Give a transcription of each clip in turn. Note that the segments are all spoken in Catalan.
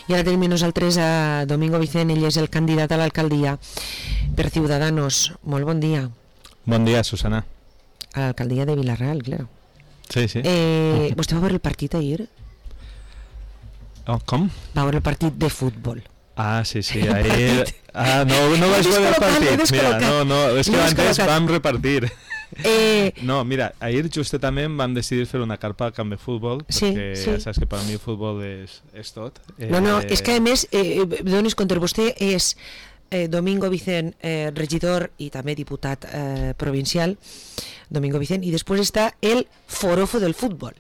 I ara tenim nosaltres a Domingo Vicent, ell és el candidat a l'alcaldia per Ciudadanos. Molt bon dia. Bon dia, Susana. A l'alcaldia de Vila-real, claro. Sí, sí. ¿Vostè va veure el partit ahir? Com? Va veure el partit de futbol. Ah, sí, ahir... no vaig veure el partit. Mira, no, és que antes vam repartir. No, mira, ahir justament vam decidir fer una carpa al camp de futbol, perquè ja saps que per mi el futbol és tot. No, és que a més, donis compte, vostè és Domingo Vicent, regidor i també diputat provincial, Domingo Vicent, i després està el forofo del futbol.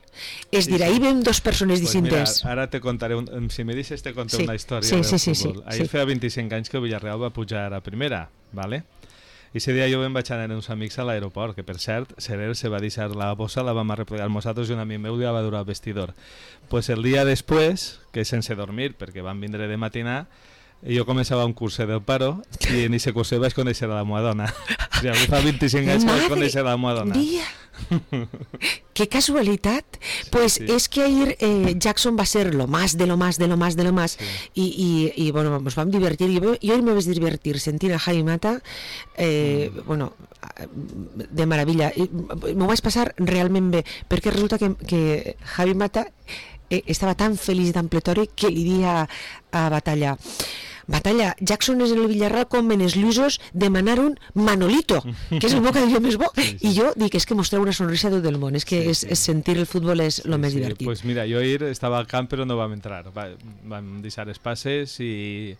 És dir, ahir vam dos persones distintes. Mira, ara te contaré, si me deixes te contaré una història del futbol. Ahir feia 25 anys que el Villarreal va pujar a primera, ¿vale? I ese dia jo em vaig anar amb uns amics a l'aeroport, que per cert, Serer se va deixar la bossa, la vam arreplegar nosaltres i un amic meu ja va durar al vestidor. Pues el dia després, que sense dormir, perquè van vindre de matinar, jo començava un curset del paro i en aquest curset vaig conèixer la meva dona. O sigui, fa 25 anys que vaig conèixer la meva dona. ¡Qué casualidad! Pues es que ayer Jackson va a ser lo más de lo más de lo más de lo más y bueno, nos vamos a divertir. Yo hoy me voy a divertir, sentir a Javi Mata bueno, de maravilla. M'ho vaig passar realment bé, perquè resulta que Javi Mata estava tan feliç i tan pletori que li dia a Batalla, Jackson és en el Villarreal com en els Lluïsos demanaron Manolito, que és el meu cada dia més bo. I jo dic, és que mostreu una sonrisa a tot el món, és que sentir el futbol és el més divertit. Pues mira, jo ahir estava al camp però no vam entrar, vam deixar els passes i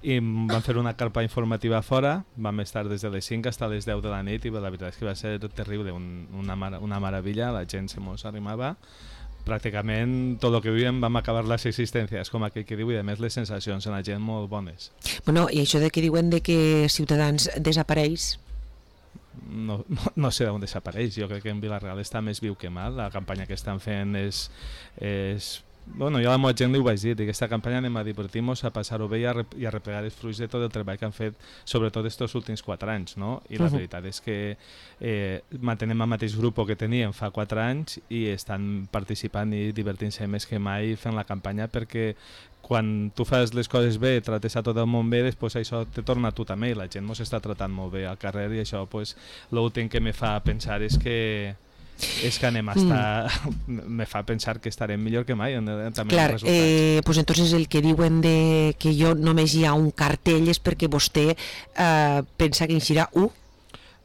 vam fer una carpa informativa fora, vam estar des de les 5 fins a les 10 de la nit i la veritat és que va ser terrible, una meravella, la gent se mos arrimava. Pràcticament tot el que vivíem vam acabar les existències, com aquell que diu, i a més les sensacions en la gent molt bones. Bueno, i això de que diuen de que Ciutadans desapareix? No sé d'on desapareix, jo crec que en Vila-real està més viu que mal, la campanya que estan fent és bueno, jo a la meva gent li ho vaig dir, aquesta campanya anem a divertir-nos, a passar-ho bé i a replegar els fruits de tot el treball que han fet, sobretot estos últims 4 anys, no? I la veritat és que mantenem el mateix grup que teníem fa 4 anys i estan participant i divertint-se més que mai fent la campanya, perquè quan tu fas les coses bé, trates a tot el món bé, després això te torna a tu també, i la gent ens està tratant molt bé al carrer i això, l'últim que me fa pensar és que anem a estar... me fa pensar que estarem millor que mai també. Clar, pues entonces el que diuen de que jo només hi ha un cartell és perquè vostè pensa que hi serà un?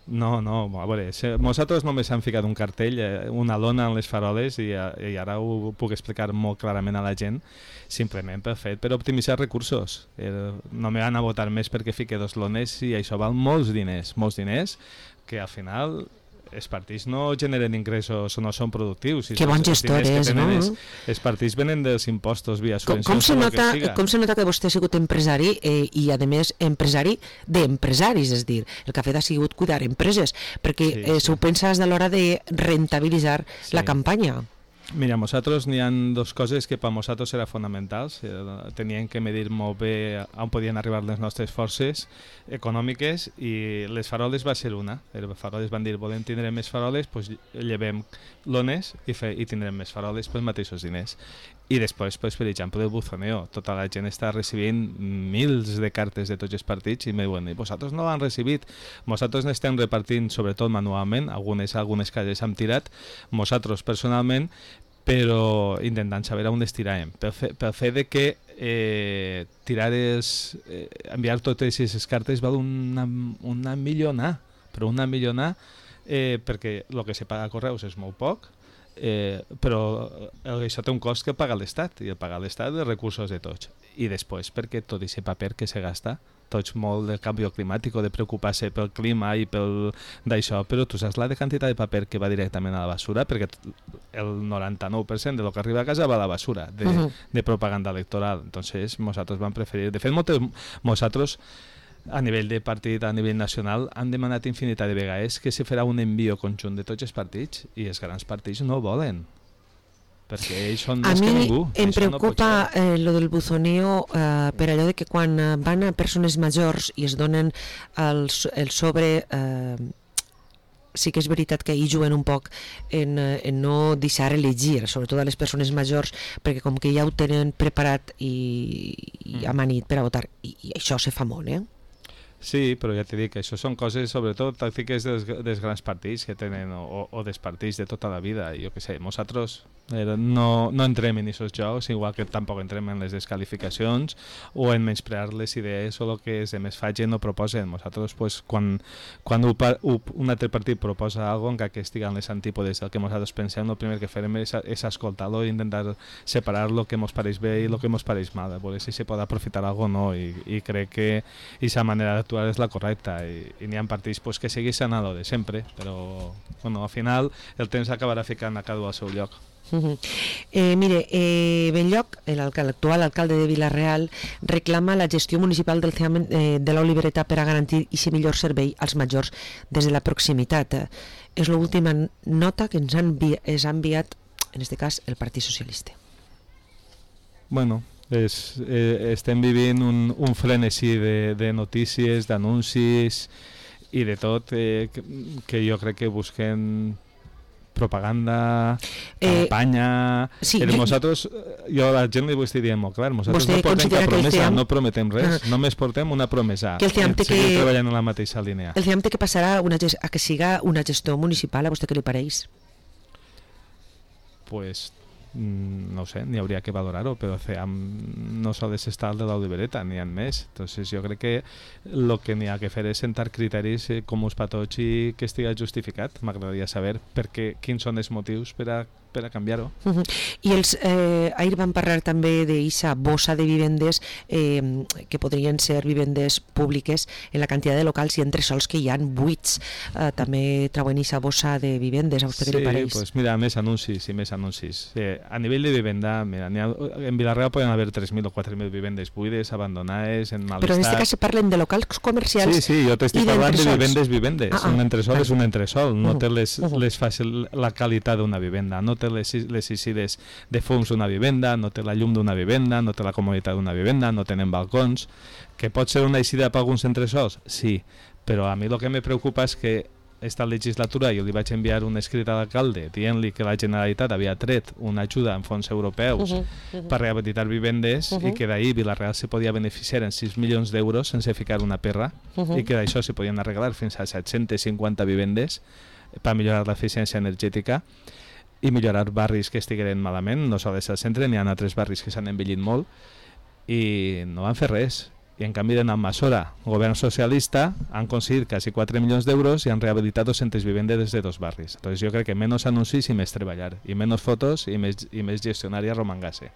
No, a veure, nosaltres només hem ficat un cartell, una lona en les faroles i ara ho puc explicar molt clarament a la gent, simplement per optimitzar recursos. No me van a votar més perquè fique 2 lones i això val molts diners que al final els partits no generen ingressos o no són productius. Que bon gestor és, no? Els partits venen dels impostos via subvencions. Com se nota que vostè ha sigut empresari i a més empresari d'empresaris, és dir, el que ha fet ha sigut cuidar empreses, perquè s'ho pensa a l'hora de rentabilitzar la campanya. Mira, nosaltres n'hi ha 2 coses que per nosaltres eren fonamentals. Teníem que medir molt bé on podien arribar les nostres forces econòmiques i les faroles va ser una. Les faroles van dir, volem tindre més faroles, doncs llevem lones i tindrem més faroles pels mateixos diners. I després, per exemple, el buzoneo. Tota la gent està recibint mils de cartes de tots els partits i me diuen, vosaltres no l'han recibit. Nosaltres n'estem repartint, sobretot manualment, algunes cases hem tirat, nosaltres personalment, però intentant saber on les tiràvem. Pel fet de que enviar totes aquestes cartes val una milionà, però una milionà perquè el que se paga a correus és molt poc, però això té un cost que paga l'Estat, i el paga l'Estat els recursos de tots. I després perquè tot aquest paper que se gasta, tots molt del canvi climàtic o de preocupar-se pel clima i pel d'això, però tu saps la quantitat de paper que va directament a la basura, perquè el 99% de lo que arriba a casa va a la basura de propaganda electoral. Entonces nosaltres vam preferir, de fet nosaltres a nivell de partit, a nivell nacional, han demanat infinitat de vegades que se farà un envio conjunt de tots els partits i els grans partits no volen, perquè ells són més que ningú. A mi em preocupa lo del buzoneo per allò de que quan van a persones majors i es donen el sobre sí que és veritat que hi juguen un poc en no deixar elegir, sobretot a les persones majors, perquè com que ja ho tenen preparat i amanit per a votar, i això se fa molt, Sí, però ja t'he dit que això són coses, sobretot, tàctiques dels grans partits que tenen, o dels partits de tota la vida. Jo què sé, nosaltres no entrem en aquests jocs, igual que tampoc entrem en les descalificacions o en menysprear les idees o el que els demés facin o proposen. Nosaltres, pues, quan un altre partit proposa alguna cosa, encara que estigui en les antípodes del que nosaltres pensem, el primer que farem és escoltar-lo i intentar separar el que ens pareix bé i el que ens pareix mal, a veure si se pot aprofitar alguna cosa o no, i crec que aquesta manera d'actuar és la correcta, i n'hi ha partits pues, que segueixen a lo de sempre, però bueno, al final el temps acabarà ficant a cada un al seu lloc. Mire, Benlloc, l'actual alcalde de Vila-real, reclama la gestió municipal del CEAM de l'Olivereta per a garantir aquest millor servei als majors des de la proximitat. És l'última nota que ens ha enviat, en aquest cas, el Partit Socialista. Bueno, estem vivint un frenesí de notícies, d'anuncis i de tot, que jo crec que busquen propaganda, campanya... Sí, nosaltres, jo a la gent li vull dir molt clar, nosaltres no portem cap promesa, no prometem res, només portem una promesa, que el CEAM seguir treballant en la mateixa línia. El CEAM té que passar a que siga una gestió municipal, a vostè què li pareix? Pues no sé, n'hi hauria que valorar-ho, però el CEAM no s'ha d'estar de l'Olivereta, n'hi ha més. Entonces jo crec que el que n'hi ha que fer és sentar criteris comuns per tots i que estigui justificat. M'agradaria saber quins són els motius per a canviar-ho. I ahir vam parlar també d'eixa bossa de vivendes que podrien ser vivendes públiques en la quantitat de locals i entresols que hi ha buits. També trauen eixa bossa de vivendes, a vostè què li pareix? Sí, pues mira, més anuncis i més anuncis. A nivell de vivenda, mira, en Vila-real poden haver 3.000 o 4.000 vivendes buides, abandonades, en mal estat. Però en aquest cas se parlen de locals comercials. Sí, jo t'estic parlant de vivendes. Un entresol és un entresol, no té la qualitat d'una vivenda, no té les eixides de fums d'una vivenda, no té la llum d'una vivenda, no té la comoditat d'una vivenda, no tenen balcons. Que pot ser una eixida per alguns entresols? Sí, però a mi el que me preocupa és que esta legislatura jo li vaig enviar un escrit a l'alcalde dient-li que la Generalitat havia tret una ajuda en fons europeus per rehabilitar vivendes i que d'ahir Vila-real se podia beneficiar en 6 milions d'euros sense ficar una perra i que d'això se podien arreglar fins a 750 vivendes per millorar l'eficiència energètica i millorar barris que estigueren malament. No sols al centre, n'hi ha altres barris que s'han envellit molt i no van fer res. I en canvi de Nammásora, govern socialista, han aconseguit quasi 4 milions d'euros i han rehabilitat 200 vivendes de 2 barris. Entonces jo crec que menys anuncis i més treballar, i menys fotos i més gestionar i arromangar-se.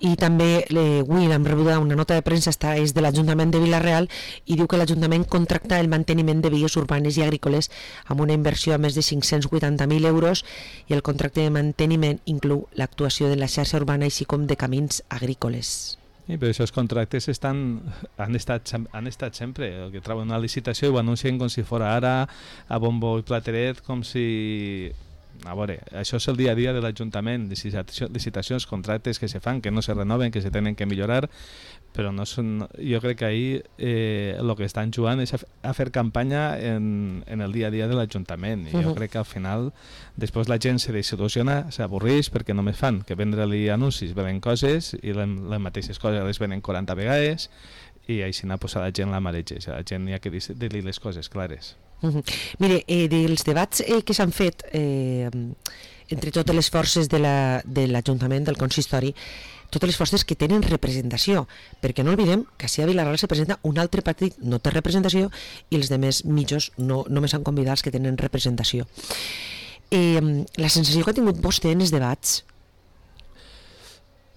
I també avui hem rebut una nota de premsa, és de l'Ajuntament de Vila-real, i diu que l'Ajuntament contracta el manteniment de vies urbanes i agrícoles amb una inversió de més de 580.000 euros i el contracte de manteniment inclou l'actuació de la xarxa urbana així com de camins agrícoles. Sí, però aquests contractes han estat sempre. El que trauen una licitació i ho anuncien com si fos ara a bombo i plateret, com si... A veure, això és el dia a dia de l'Ajuntament, licitacions, contractes que se fan, que no se renoven, que se tenen que millorar, però no són... Jo crec que ahir el que estan jugant és a fer campanya en el dia a dia de l'Ajuntament, i jo crec que al final després la gent se desil·lusiona, s'avorreix perquè només fan que vendre-li anuncis, venen coses i les mateixes coses les venen 40 vegades i així a la gent la mareges, a la gent hi ha que dir-li les coses clares. Mire, dels debats que s'han fet entre totes les forces de l'Ajuntament, del consistori, totes les forces que tenen representació, perquè no oblidem que si a Vila-real se presenta un altre partit no té representació i els demés mitjos només han convidat els que tenen representació. La sensació que ha tingut vostè en els debats?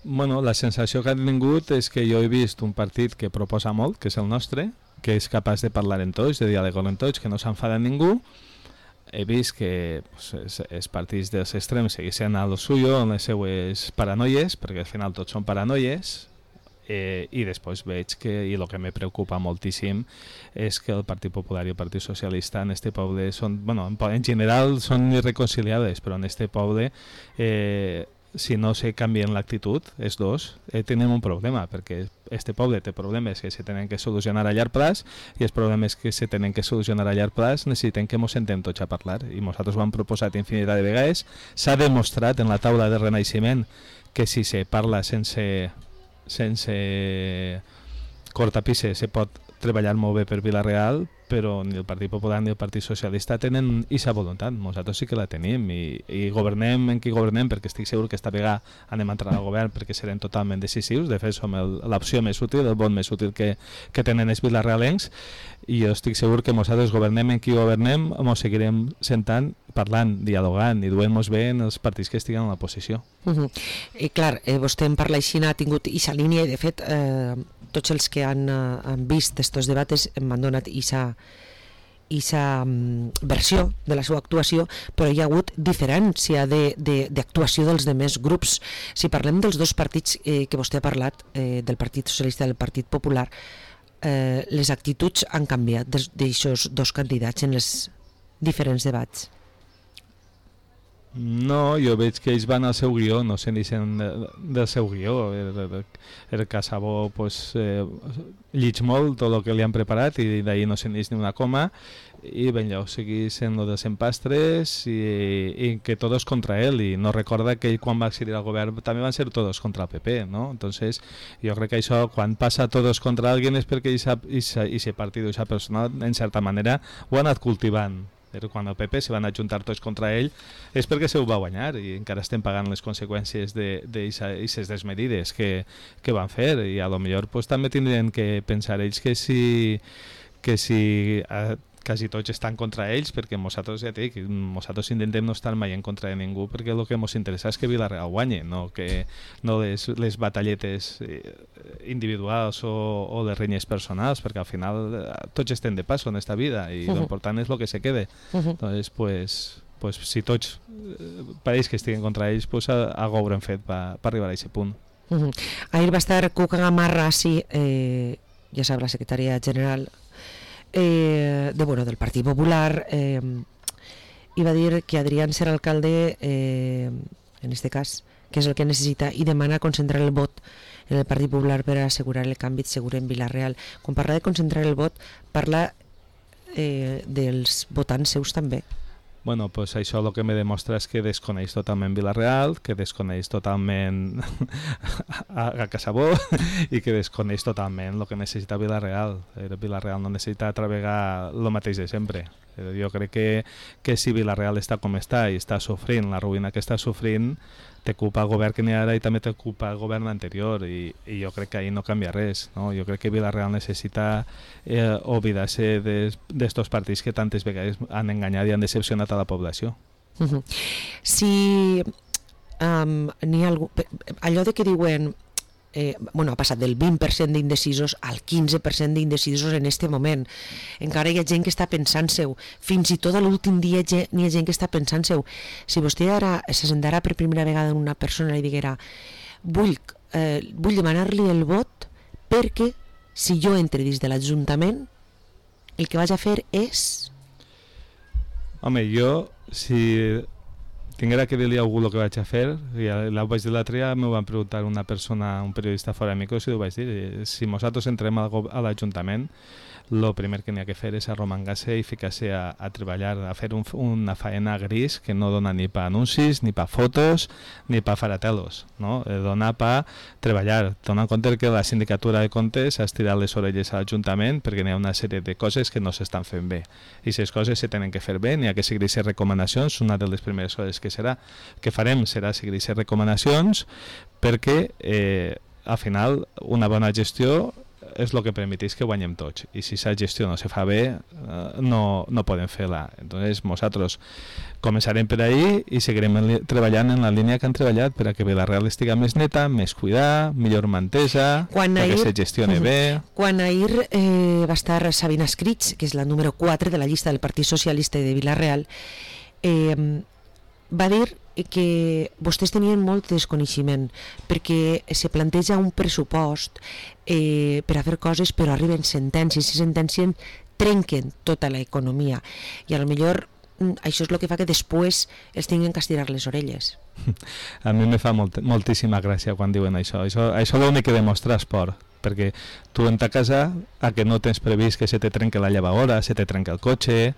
Bueno, la sensació que ha tingut és que jo he vist un partit que proposa molt, que és el nostre, que és capaç de parlar en tots, de dialogar en tots, que no s'enfada ningú. He vist que els partits dels extrems segueixen a lo suyo, en les seues paranoies, perquè al final tots són paranoies, i després veig que, i el que me preocupa moltíssim, és que el Partit Popular i el Partit Socialista en este poble són, bueno, en general són irreconciliables, però en este poble si no se canvien l'actitud, els dos, tenim un problema, perquè este poble té problemes que se tenen que solucionar a llarg plaç i els problemes que se tenen que solucionar a llarg plaç necessiten que ens sentem tots a parlar. I nosaltres ho hem proposat infinitat de vegades. S'ha demostrat en la taula de renaixement que si se parla sense cortapisses se pot treballar molt bé per Vila-real, però ni el Partit Popular ni el Partit Socialista tenen aquesta voluntat. Nosaltres sí que la tenim i governem en qui governem, perquè estic segur que esta vegada anem a entrar al govern perquè serem totalment decisius. De fet, som l'opció més útil, el vot més útil que tenen els vilarealencs, i jo estic segur que nosaltres governem en qui governem, ens seguirem sentant, parlant, dialogant i duent-nos bé en els partits que estiguen a l'oposició. I clar, vostè en parla així, ha tingut aquesta línia i de fet tots els que han vist estos debates m'han donat aquesta versió de la seva actuació, però hi ha hagut diferència d'actuació dels demés grups. Si parlem dels dos partits que vostè ha parlat, del Partit Socialista i del Partit Popular, les actituds han canviat d'aixòs dos candidats en els diferents debats. No, jo veig que ells van al seu guió, no se'n deixen del seu guió. El Casabó llig molt tot el que li han preparat i d'ahir no se'n deix ni una coma, i Benllau segueix sent lo dels empastres i que tots contra ell, i no recorda que ell quan va accedir al govern també van ser tots contra el PP, ¿no? Entonces jo crec que això, quan passa tots contra alguien, és perquè aquest partit o aquesta persona en certa manera ho ha anat cultivant. Quan el PP se van ajuntar tots contra ell és perquè se ho va guanyar i encara estem pagant les conseqüències d'aquestes desmedides que van fer, i a lo millor també tindrien que pensar ells que si quasi tots estan contra ells, perquè nosaltres, ja dic, nosaltres intentem no estar mai en contra de ningú, perquè el que ens interessa és que Vila-real guanyi, no les batalletes individuals o les renyes personals, perquè al final tots estem de passo en esta vida i l'important és el que se quede. Entonces, pues, si tots pareix que estiguen contra ells, pues algo haurem fet per arribar a aquest punt. Ahir va estar Cuca Gamarra, sí, ja sap, la secretària general del Partit Popular, i va dir que Adrián serà alcalde en este cas, que és el que necessita, i demana concentrar el vot en el Partit Popular per assegurar el canvi segur en Vila-real. Quan parla de concentrar el vot, parla dels votants seus també. Bueno, pues això el que me demostra és que desconeix totalment Vila-real, que desconeix totalment a Casabó i que desconeix totalment el que necessita Vila-real. Vila-real no necessita travegar el mateix de sempre. Jo crec que si Vila-real està com està i està sofrint la ruïna que està sofrint, té culpa el govern que n'hi ha ara i també té culpa el govern anterior, i jo crec que ahir no canvia res, no? Jo crec que Vila-real necessita oblidar-se d'estos partits que tantes vegades han enganyat i han decepcionat a la població. Si n'hi ha algú, allò de que diuen ha passat del 20% d'indecisos al 15% d'indecisos en este moment. Encara hi ha gent que està pensant-seu, fins i tot a l'últim dia n'hi ha gent que està pensant-seu. Si vostè ara se sentarà per primera vegada en una persona i diguera vull demanar-li el vot perquè si jo entre dins de l'Ajuntament el que vaig a fer és... Home, jo si tinguera que dir-li a algú el que vaig a fer, i ho vaig dir l'altre dia, m'ho van preguntar una persona, un periodista fora de micros, i ho vaig dir, si nosaltres entrem a l'Ajuntament, el primer que n'hi ha que fer és arromangar-se i ficar-se a treballar, a fer una faena gris que no dona ni per anuncis, ni per fotos, ni per faratelos, no? Dona per treballar. Dona en compte que la sindicatura de comptes ha estirat les orelles a l'Ajuntament perquè n'hi ha una sèrie de coses que no s'estan fent bé. I aquestes coses se tenen que fer bé, n'hi ha que seguir aquestes recomanacions. Una de les primeres coses que farem serà seguir aquestes recomanacions perquè al final una bona gestió és el que permeteix que guanyem tots, i si aquesta gestió no se fa bé no podem fer-la. Entonces nosaltres començarem per ahí i seguirem treballant en la línia que han treballat per a que Vila-real estiga més neta, més cuidada, millor mantesa, que se gestioni bé. Quan ahir va estar Sabina Escrits, que és la número 4 de la llista del Partit Socialista de Vila-real, va dir que vostès tenien molt desconeixement perquè se planteja un pressupost per a fer coses, però arriben sentències i sentències trenquen tota l'economia, i a lo millor això és el que fa que després els tinguin que estirar les orelles. A mi me fa moltíssima gràcia quan diuen això. Això l'únic que demostra esport, perquè tu en ta casa, a que no tens previst que se te trenque la llevadora, se te trenque el cotxe,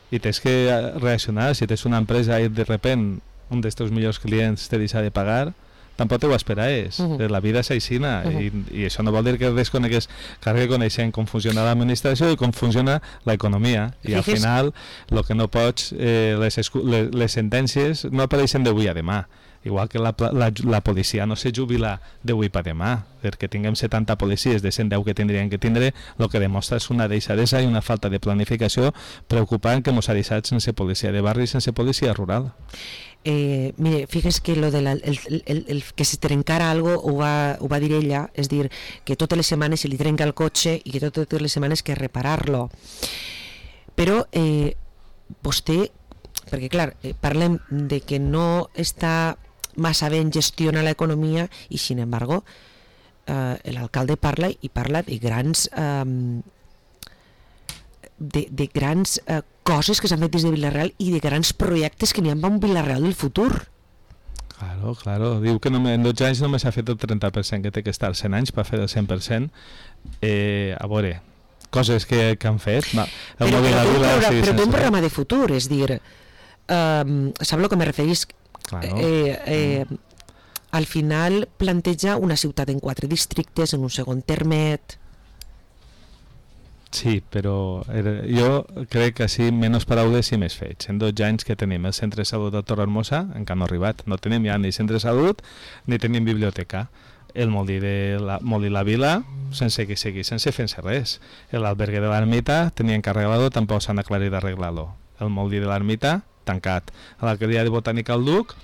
i tens que reaccionar. Si tens una empresa i de repent un dels teus millors clients te deixa de pagar, tampoc ho esperaves. La vida és aixina, i això no vol dir que desconegues, que coneixent com funciona l'administració i com funciona l'economia, i al final el que no pots, les sentències no apareixen d'avui a demà, igual que la policia no se jubila d'avui per demà, perquè tinguem 70 policies de 110 que tindrien que tindre, el que demostra és una deixadesa i una falta de planificació preocupant que ens ha deixat sense policia de barri i sense policia rural. Mire, fíjese que lo de el que se trencara algo ho va dir ella, és dir, que totes les setmanes se li trenca el cotxe i que totes les setmanes que reparar-lo. Però vostè, perquè clar, parlem de que no està massa ben gestiona l'economia i sin embargo l'alcalde parla de grans de grans coses que s'han fet des de Vila-real i de grans projectes que n'hi ha amb un Vila-real del futur. Claro. Diu que en 12 anys només s'ha fet el 30%, que té que estar 100 anys per fer el 100%. A veure, coses que han fet. Però té un programa de futur, és dir, sap el que me referís? Claro. Al final planteja una ciutat en 4 districtes, en un segon termet. Sí, però jo crec que així menys paraules i més fets. En 12 anys que tenim el centre de salut de Torrehermosa, encara no ha arribat, no tenim ja ni centre de salut ni tenim biblioteca. El molí de la vila sense que sigui, sense fer-se res. L'albergue de l'ermita tenien que arreglar-lo, tampoc s'han aclarit d'arreglar-lo. El molí de l'ermita tancat. A l'Alcaldia de Botànica al Duc,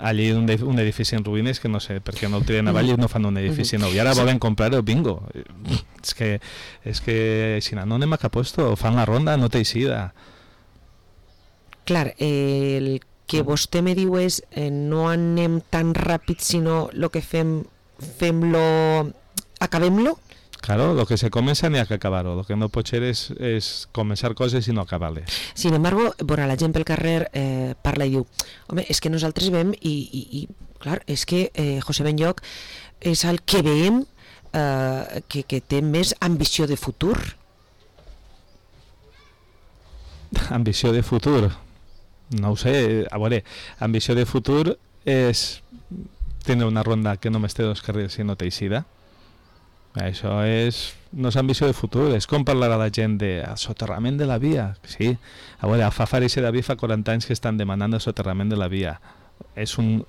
allí un edifici en ruïnes que no sé per què no el tiren avall i no fan un edifici nou, i ara volen comprar el bingo. És que si no anem a cap puesto, fan la ronda, no té eixida. Clar, el que vostè me diu és no anem tan ràpid, sinó el que fem-lo, acabem-lo. Claro, lo que se comença n'hi ha que acabar-ho. Lo que no pot ser és començar coses i no acabar-les. Sin embargo, bueno, la gent pel carrer parla i diu, home, és que nosaltres veiem i clar, és que José Benlloch és el que veiem que té més ambició de futur. Ambició de futur? No ho sé. A veure, ambició de futur és tenir una ronda que només té 2 carrils i no té eixida. Això no és ambició de futur, és com parlar a la gent del soterrament de la via. Sí, a veure, a Fafarice de David fa 40 anys que estan demanant el soterrament de la via. És un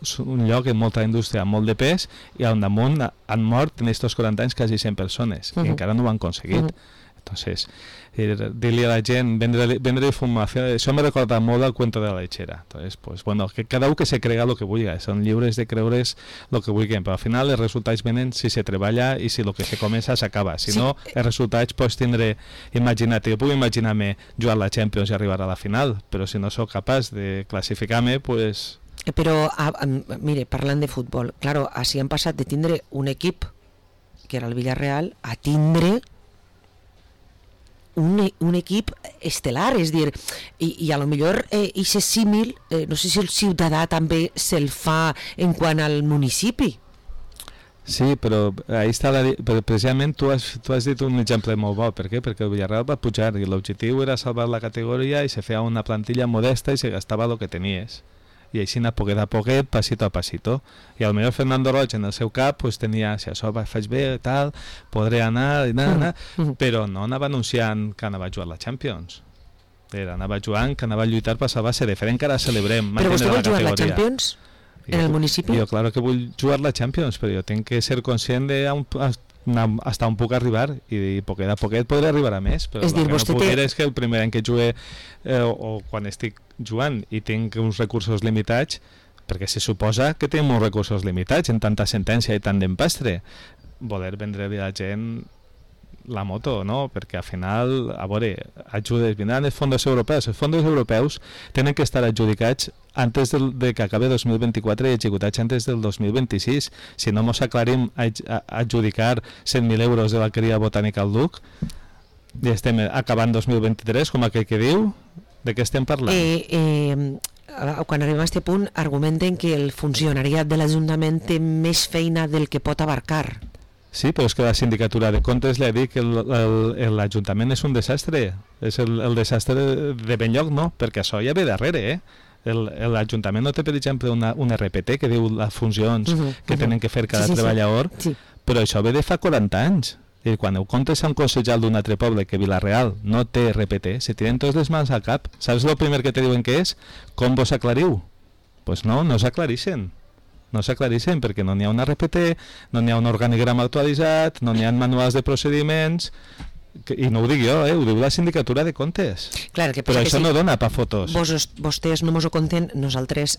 lloc amb molta indústria, amb molt de pes, i al damunt han mort en aquests 40 anys quasi 100 persones, i encara no ho han aconseguit. Entonces, dir-li a la gent, vendre informació, això me recorda molt el cuento de la lechera. Entonces, pues, bueno, que cada un que se crega el que vulgui, són lliures de creure's el que vulguin, però al final els resultats venen si se treballa i si el que se comença s'acaba. Si no, els resultats pots tindre, imagina't, jo puc imaginar-me jugar a la Champions i arribar a la final, però si no sóc capaç de classificar-me, pues... Però, mire, parlant de futbol, claro, així han passat de tindre un equip, que era el Villarreal, a tindre un equip estel·lar, és dir, i a lo millor ixe símil, no sé si el ciutadà també se'l fa en quant al municipi. Sí, però ahí està però precisament tu has dit un exemple molt bo. Per què? Perquè el Villarreal va pujar i l'objectiu era salvar la categoria i se feia una plantilla modesta i se gastava el que tenies. I així anar poquet a poquet, passito a passito. I al millor Fernando Roig en el seu cap pues, tenia, si això faig bé, tal, podré anar, però no anava anunciant que anava a jugar la Champions. Anava jugant que anava a lluitar per salvar-se, de fet encara celebrem. Però vostè vol jugar la Champions en el municipi? Jo, claro que vull jugar la Champions, però jo tinc que ser conscient de hasta on puc arribar, i poquet a poquet podré arribar a més, però el que no puc dir és que el primer any que jugué o quan estic jugant i tinc uns recursos limitats, perquè se suposa que tenim uns recursos limitats en tanta sentència i tant d'empastre, voler vendre a la gent la moto, no? Perquè al final, a veure, ajudes, vindran els fons europeus. Els fons europeus tenen que estar adjudicats antes de que acabi 2024 i executats antes del 2026. Si no ens aclarim a adjudicar 100.000 euros de l'Alqueria Botànica al Duc i estem acabant 2023, com aquell que diu, De què estem parlant? Quan arribem a aquest punt, argumenten que el funcionariat de l'Ajuntament té més feina del que pot abarcar. Sí, però és que la sindicatura de comptes li ha dit que l'Ajuntament és un desastre. És el desastre de ben lloc, no? Perquè això ja ve darrere, L'Ajuntament no té, per exemple, un RPT que diu les funcions que tenen que fer cada treballador, però això ve de fa 40 anys. I quan heu comptes a un consellal d'un altre poble que Vila-real no té RPT, se tiren tots les mans al cap. Saps el primer que te diuen que és? Com vos aclariu? Doncs no s'aclarixen. No s'aclarixen perquè no n'hi ha un RPT, no n'hi ha un organigrama actualitzat, no n'hi ha manuals de procediments, i no ho dic jo, ho diu la sindicatura de comptes. Clar, però això no dona pa fotos. Vostès no mos ho conten, nosaltres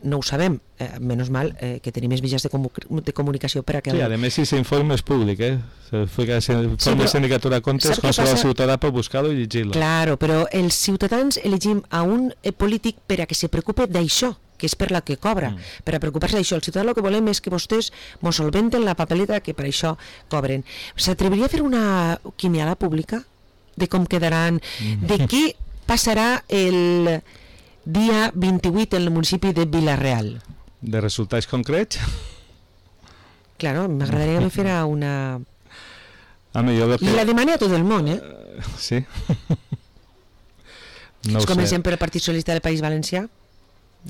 no ho sabem. Menys mal que tenim més mitjans de comunicació per a que... Sí, a més, si s'informe és públic, Informe sindicatura de comptes, qualsevol ciutadà pot buscar-lo i llegir-lo. Claro, però els ciutadans elegim a un polític per a que se preocupe d'això, que és per la que cobra, per a preocupar-se d'això. El ciutadà el que volem és que vostès mos solventen la papeleta que per això cobren. S'atreviria a fer una quiniela pública de com quedaran, de què passarà el dia 28 en el municipi de Vila-real? De resultats concrets? Claro, m'agradaria que me fera una... I la demane a tot el món, Sí. No ho sé. Comencem per el Partit Socialista del País Valencià.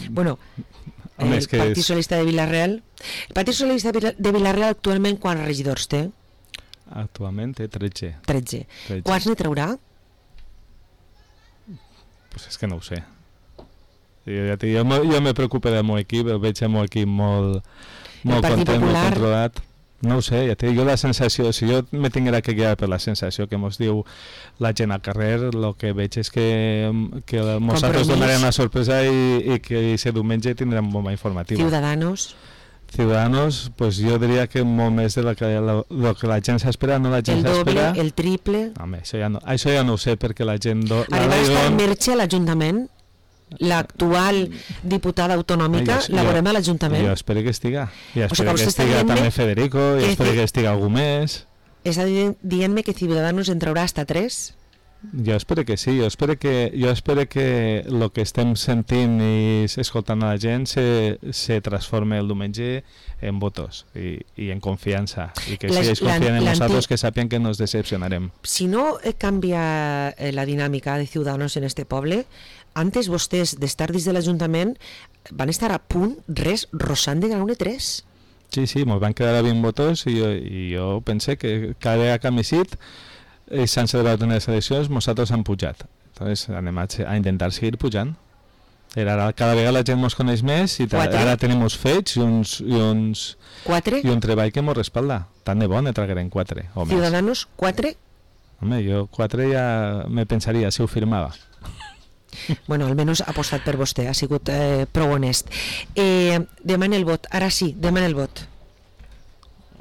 Bueno, el Partit Socialista de Vila-real. El Partit Socialista de Vila-real actualment quants regidors té? Actualment té 13. Quants ne traurà? Pues és que no ho sé. Jo me preocupo del meu equip, el veig el meu equip molt content, molt controlat. No ho sé, ja te dic, la sensació, si jo me tinguera que guiar per la sensació que mos diu la gent al carrer, el que veig és que nosaltres donarem la sorpresa i que aquest diumenge tindrem bomba informativa. Ciudadanos, pues jo diria que molt més de lo que la gent s'espera, no la gent s'espera. El doble, el triple... Home, això ja no ho sé, perquè la gent... Arriba a estar Merche a l'Ajuntament? L'actual diputada autonòmica la veurem a l'Ajuntament? Jo espero que estiga. I espero que estiga també Federico, i espero que estiga algú més. Està dient-me que Ciudadanos en traurà hasta 3? Jo espero que sí, jo espero que el que estem sentint i escoltant a la gent se transforme el diumenge en votos i en confiança, i que si ells confien en nosaltres que sàpien que nos decepcionarem. Si no canvia la dinàmica de Ciudadanos en este poble, antes vostès d'estar dins de l'Ajuntament van estar a punt, rozant de ganar 3. Sí, mos van quedar a 20 votos i jo pensé que cada vegada que hem eixit s'han celebrat unes eleccions, nosaltres han pujat. Entonces anem a intentar seguir pujant. Ara cada vegada la gent ens coneix més i ara tenim uns fets i un treball que ens respalda. Tant de bo ne traguerem 4 o més. Ciudadanos 4? Home, jo 4 ja me pensaria si ho firmava. Bueno, almenys ha apostat per vostè, ha sigut prou honest. Demana el vot, ara sí, demana el vot.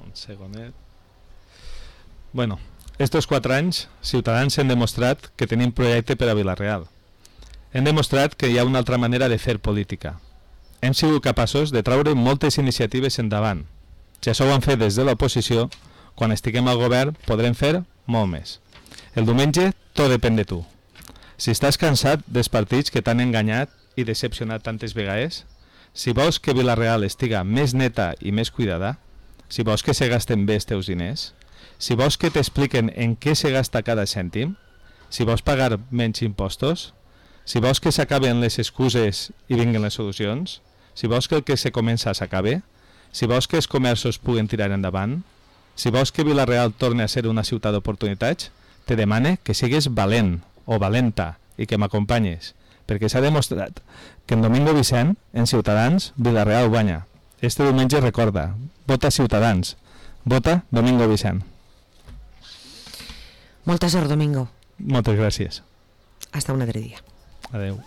Un segonet. Bueno, estos 4 anys, Ciutadans hem demostrat que tenim projecte per a Vila-real. Hem demostrat que hi ha una altra manera de fer política. Hem sigut capaços de traure moltes iniciatives endavant. Si això ho han fet des de l'oposició, quan estiguem al govern podrem fer molt més. El diumenge tot depèn de tu. Si estàs cansat dels partits que t'han enganyat i decepcionat tantes vegades, si vols que Vila-real estiga més neta i més cuidada, si vols que se gasten bé els teus diners, si vols que t'expliquen en què se gasta cada cèntim, si vols pagar menys impostos, si vols que s'acaben les excuses i vinguen les solucions, si vols que el que se comença s'acabe, si vols que els comerços puguen tirar endavant, si vols que Vila-real torni a ser una ciutat d'oportunitats, te demane que sigues valent o valenta i que m'acompanyes, perquè s'ha demostrat que en Domingo Vicent, en Ciutadans, Vila-real guanya. Este diumenge recorda, vota Ciutadans, vota Domingo Vicent. Molta sort, Domingo. Moltes gràcies. Hasta un altre dia. Adeu.